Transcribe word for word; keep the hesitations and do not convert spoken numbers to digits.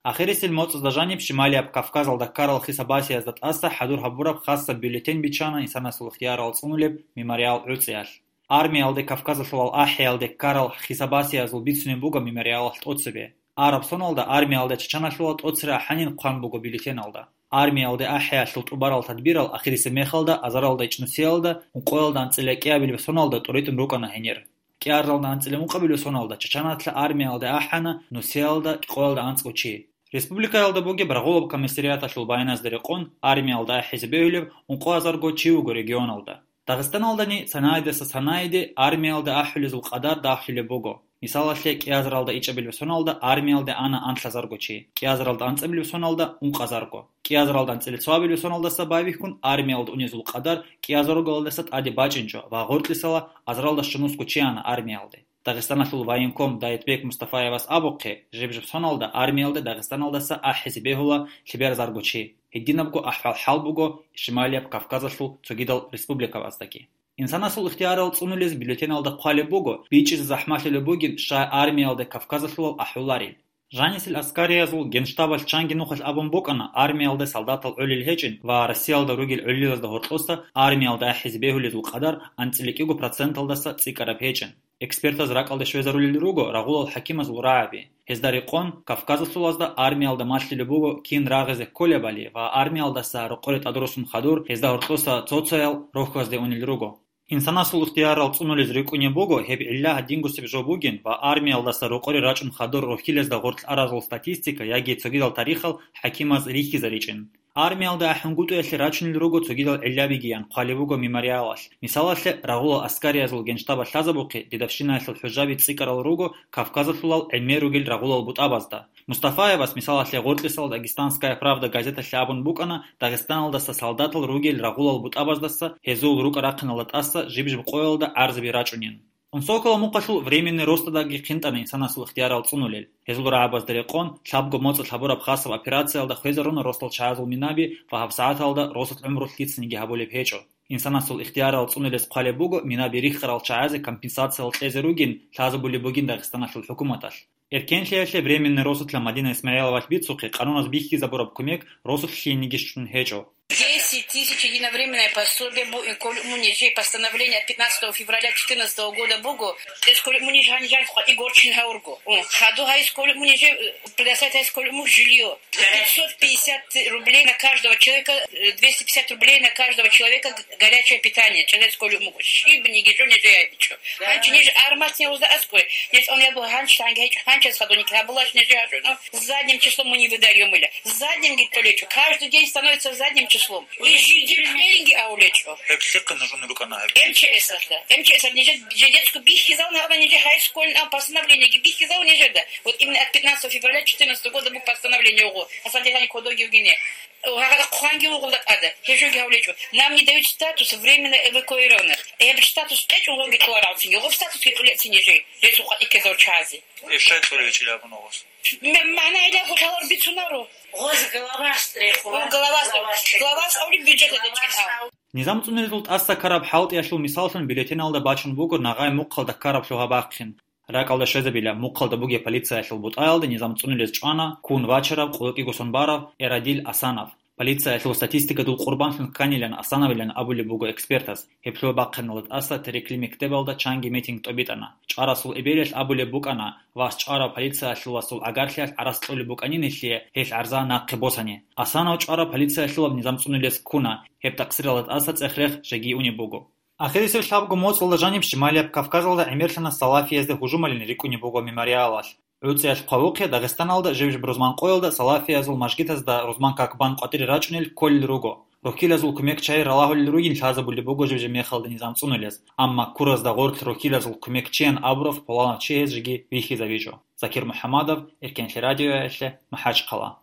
Ахирисел моцӀазда жаниб Шималияб Кавказалда ккарал хисабасиязда тӀаса хӀадур гьабураб хасаб бюллетень биччана инсанасул ихтиярал цӀунулеб мемориал гӀуцӀиялъ. Армиялде Кавказалъулал ахӀиялде ккарал хисабасиязул бицунеб буго мемориалалъ тӀоцебе. Араб соналда армиялде чачаналъула тӀоцере ахӀанин хъван буго бюллетеналда. Армиялде ахӀиялъул тӀубарал тадбирал ахирисеб мехалда азаралда ичӀнусиялда ункъоялда анцӀила кӀиабилеб соналда тӀуритӀун рукӀана гьенир. КӀиазаралда анцӀила ункъабилеб соналда чачаналъа армиялде ахӀана нусиялда къоялда анцӀго чи. Республикаялда бугеб рагъулаб комиссариаталъул баяназда рекъон, армиялда ахӀизе бегьулеб ункъо азарго чи вуго регионалда. Дагъистаналдани санаидаса санаиде армиялда ахӀулезул къадар дагьлъулеб буго. Мисалалъе, кӀиазаралда ичӀабилеб соналда армиялде ана анлъазарго чи, кӀиазаралда анцӀабилеб соналда ункъазарго. КӀиазаралда анцӀила цоабилеб соналдаса байбихьун армиялда унезул къадар кӀиазаргалдаса тӀаде бачӀинчӀо ва гъоркьисала азаралда щунусго чи ана армиялде. Дагъистаналъул военком Дайтбек Мустафаевас абухъе, жиб-жиб соналда армиялде Дагъистаналдаса ахӀизе бегьула лъеберзарго чи. Гьединабго ахӀвал-хӀал буго Шималияб Кавказалъул цогидал республикабаздаги. Инсанасул ихтиярал цӀунулез бюллетеналда хъвалеб буго, бичӀчӀизе захӀмалъулеб бугин, щай армиялде Кавказалъулал ахӀуларел. Жанисел аскариязул генштабалъ чанги нухалъ абун букӀана армиялде солдатал гӀолел гьечӀин ва Россиялда ругел гӀолилазда гьоркьоса армиялда ахӀизе бегьулезул къадар анцӀила кӀиго проценталдаса цӀикӀкӀараб гьечӀин. Экспертаз ракӀалде щвезарулел руго рагъулал хӀакимазул рагӀаби. Гьезда рекъон, Кавказалъулазда армиялда малъулеб буго кин рагъизе кколебали ва армиялдаса рокъоре тӀадруссун хадур гьезда гьоркьоса цо-цоял рохьазде унел руго. Инсанасул ихтиярал цӀунулез рикӀкӀунеб буго гьеб гӀилла гьадингусеб жо бугин ва армиялдаса рокъоре рачӀун хадур рохьилезда гъоркь аразул статистика яги цогидал тарихал хӀакимаз рихьизаричӀин. Армиялда ахӀунгутӀиялъе рачунел руго цогидал гӀиллабигиян хъвалеб буго мемориалалъ. Мисалалъе, рагъулал аскариязул генштабалъ лъазабухъе дедовщинаялъул хӀужаби цӀикӀкӀарал руго Кавказалъулал гӀемер ругел рагъулал бутӀабазда. Мустафаевас, мисалалъе, гъоркьисал «Дагестанская правда» газеталъе абун букӀана Дагъистаналдаса солдатал ругел рагъулал бутӀабаздаса гьезул рукӀа-рахъиналда тӀаса жиб-жиб къоялда гӀарзаби рачӀунин. Унсокала мухъалъул временный ростадаги хъинтӀана инсанасул ихтиярал цӀунулел. Гьезул рагӀабазда рекъон, лъабго моцӀалъ гьабураб хасаб операциялда хвезаруна росдал чагӀазул минаби ва гьабсагӀаталда росулъ гӀумру лъицаниги гьабулеб гьечӀо. Инсанасул ихтиярал цӀунулез хъвалеб буго минаби риххарал чагӀазе компенсациял кьезе ругин лъазабулеб бугин Дагъистаналъул хӀукуматалъ. Эркенлъиялъе временный росулъа Мадина Исмаиловалъ бицухъе, къануназ бихьизабураб кумек росулъ лъиениги щун гьечӀо. Десять тысяч единовременное пособие бу-, колуму нижей постановление от пятнадцатого февраля четырнадцатого года буго, то есть колуму ниж гьанижан хъвади горчин гьаурго. О, хаду гьайс колуму нижей, э, предоставить гьайс колуму жилье. Пятьсот пятьдесят рублей на каждого человека, э, двести пятьдесят рублей на каждого человека г-, горячее питание. Через колуму щибниги жо нижей обичу. Гьанчи ниж арматни узда аскуй. Ниж он я был гьанч танги гьечӀ гьанчас хадуник гьабулаш нижей гьажуно. Задним числом мы не выдаём или. Задним ги толечу. Каждый день становится задним числом. И жиги пленги аулечу. Гьеб лъикъа нужун рукӀана гьеб. М Ч С ахла. МЧС нижа жидецку бихизал на нижа хайскольн а постановление ги бихизал нижа да. Вот именно от пятнадцатого февраля четырнадцатого года был постановление ого. Асадилани кодоги угине. Хъанги угъулда тӀада. Гьежоги гьавлечу. Нам не дают статус временно эвакуированных. Гьеб статус кьечӀун логи кьоларалцин. Йогъоб статус кьечӀулецин нижей. Ресу къатӀикезал чази. Эшай цӀолевичӀила абун огъос. М-, магӀна гьеле гъулъалар бицунаро. Гъоз главас трехула. О, главас, главас авли бюджет дечӀин, а. Низам цӀунезул тӀаса караб хӀалтӀиялъул мисаллъун бюллетеналда бачун буго нагъай мухъалда караб лъугьа-бахъин. РакӀалда щвезабила, мухъалда бугеб полициялъул бутӀаялда низам цӀунулез чӀвана ккун вачарав къуллукъи гусун барав Эрадил Асанов. Полициялъул статистикадул къурбанлъун кканилан Асановилан абулеб буго экспертаз. Гьеб лъугьа-бахъиналда тӀаса Терекли мектебалда чанги митинг тӀобитӀана. ЧӀварасул эбелалъ абулеб букӀана, вас чӀварав полициялъуласул гӀагарлъиялъ гӀарац кьолеб букӀанин гьелъие, гьелъ гӀарза нахъе босани. Асанов чӀварав полициялъулаб низам цӀунулес ккуна, гьеб такъсиралда тӀаса цӀех-рех жеги унеб буго. Ахирисеб лъабго моцӀалда жаниб Шималияб Кавказалда гӀемерлъана салафиязда гьужумалин рикӀкӀунеб буго мемориалалъ. ГӀуцӀиялъ хъвавухъе Дагъистаналда жиб-жиб рузман къоялда салафиязул мажгитазда рузман как-бан къватӀире рачӀунел кколел руго. Рохьилазул кумек чай ралагьулел ругин лъазабулеб буго жиб-жиб мехалда низам цӀунулез, амма куразда гъорлъ рохьилазул кумекчиян абурав пуланав чи гьез жеги вихьизабичӀо. Закир МухӀамадов, Эркенлъи радиоялъе, МахӀачхъала.